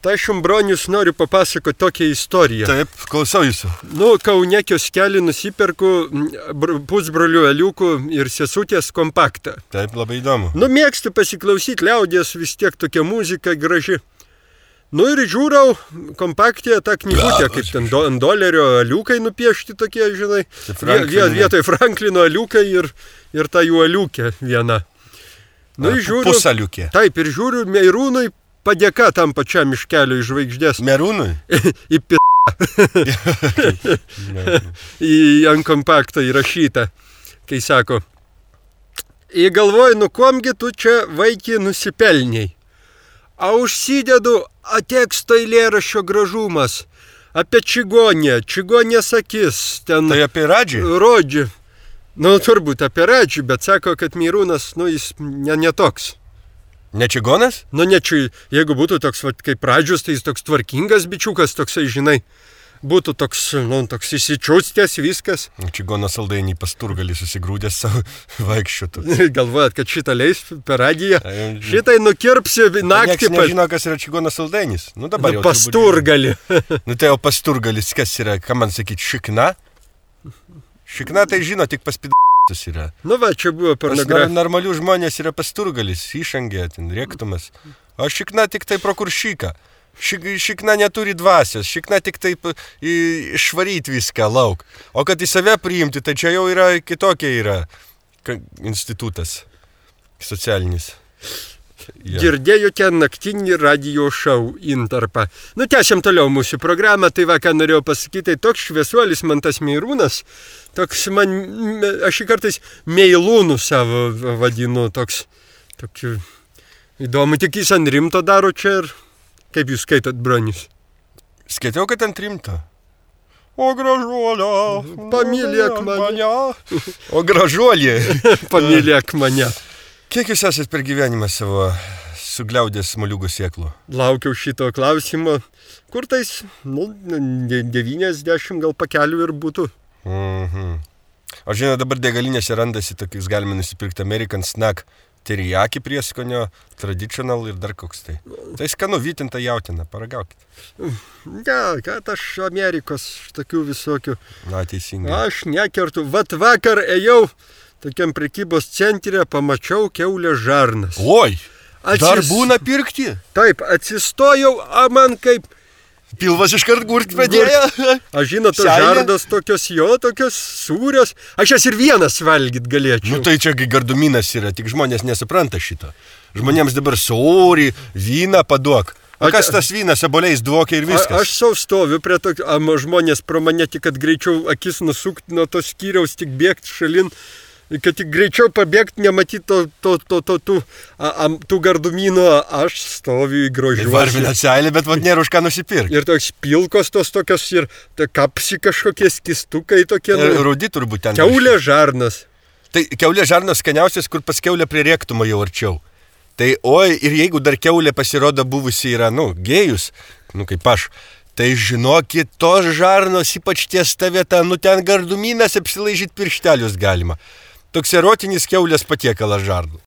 Tai aš jums, bronius, noriu papasakoti tokią istoriją. Taip, klausau jūsų. Kaune kioskelį nusiperku pusbrolių Aliukų ir sesutės kompaktą. Taip, labai įdomu. Mėgstu pasiklausyti liaudies, vis tiek tokia muzika graži. Ir žiūrau kompaktėje tą knygutę, kaip ten ant dolerio Aliukai nupiešti tokie, žinai. Vietoj Franklino Aliukai ir ta jų Aliukė viena. Pusaliukė. Taip, ir žiūriu, Meirūnui padėka tam pačiam iškelio iš žvaigždės. Merūnui? Į į ant kompakto įrašyta, kai sako, galvoju, kuomgi tu čia vaikį nusipelniai. A užsidedu teksto eilėraščio gražumas apie čigonės akis. Ten tai apie Radžį? Rodžį. Turbūt apie Radžį, bet sako, kad Meirūnas, jis netoks. Ne čigonas? Jeigu būtų toks, kaip Radžius, tai jis toks tvarkingas bičiukas, toksai, žinai, būtų toks įsičiūstęs viskas. Čigonas saldainį pasturgalį susigrūdęs savo vaikščiotų. Galvojat, kad šitą leis per radiją? Šitai nukirpsi naktį. Niekas nežino, kas yra čigonas saldainis. Dabar jau pasturgalį. Tai jau pasturgalis, kas yra, ką man sakyti, šikna? Šikna tai žino, tik paspidėtas yra. Čia buvo pornografija. Normalių žmonės yra pasturgalis, išangė, ten rėktumas. O šikna tik tai prokuršyka. Šikna neturi dvasios, šikna tik taip išvaryti viską lauk. O kad į save priimti, tai čia jau yra kitokia yra institutas socialinis. Girdėjote naktinį radio šou Intarpą. Tęsiam toliau mūsų programą, tai ką norėjau pasakyti, toks šviesuolis man tas Meirūnas, toks man, aš jį kartais Meilūnų savo vadinu, toks įdomu, tik jis ant rimto daro čia ir kaip jūs skaitot, bronius? Skaitau, kad ant rimto. O gražuolė, pamylėk mane. O gražuolė, pamylėk mane. Kiek jūs esat per gyvenimą savo sugliaudęs moliūgų sėklų? Laukiau šito klausimo. Kur tais, 90 gal pakelių ir būtų. O žinot, dabar degalinėse randasi tokius, galime nusipirkti American Snack teriyaki prieskonio, traditional ir dar koks tai. Tai skanu, vytinta jautina, paragaukit. Kad aš Amerikos tokių visokių. Teisingai. Aš nekertu. Vakar ėjau tokiam prekybos centre, pamačiau kiaulės žarnas. Oi, dar būna pirkti? Taip, atsistojau, man kaip... Pilvas iškart gurt pradėjo. Aš žinot, žardas tokios sūrios. Aš jas ir vienas valgyt galėčiau. Tai čia garduminas yra, tik žmonės nesupranta šito. Žmonėms dabar sūrį, vyną paduok. O kas tas vynas, aboliais dvokia ir viskas? Aš savo stoviu prie tokio, žmonės pro mane tik, kad greičiau akis nusukti nuo tos skyriaus, tik bėgti šalin. Kad tik greičiau pabėgti, nematyti tų gardumynų, aš stoviu į grožiuosi. Varvina seilė, bet nėra už ką nusipirkti. Ir toks pilkos tos tokios ir kapsi kažkokie skistukai tokie. Rudi turbūt ten. Kiaulės žarnas. Tai kiaulės žarnas skaniausias, kur pas kiaulę prie rėktumo jau arčiau. Tai ir jeigu dar kiaulė pasirodo buvusi yra, gėjus, kaip aš, tai žinokit, tos žarnos, ypač ties ta vieta, ten gardumynas apsilaižyti pirštelius galima. Toks erotinis kiaulės patiekalas žarnų.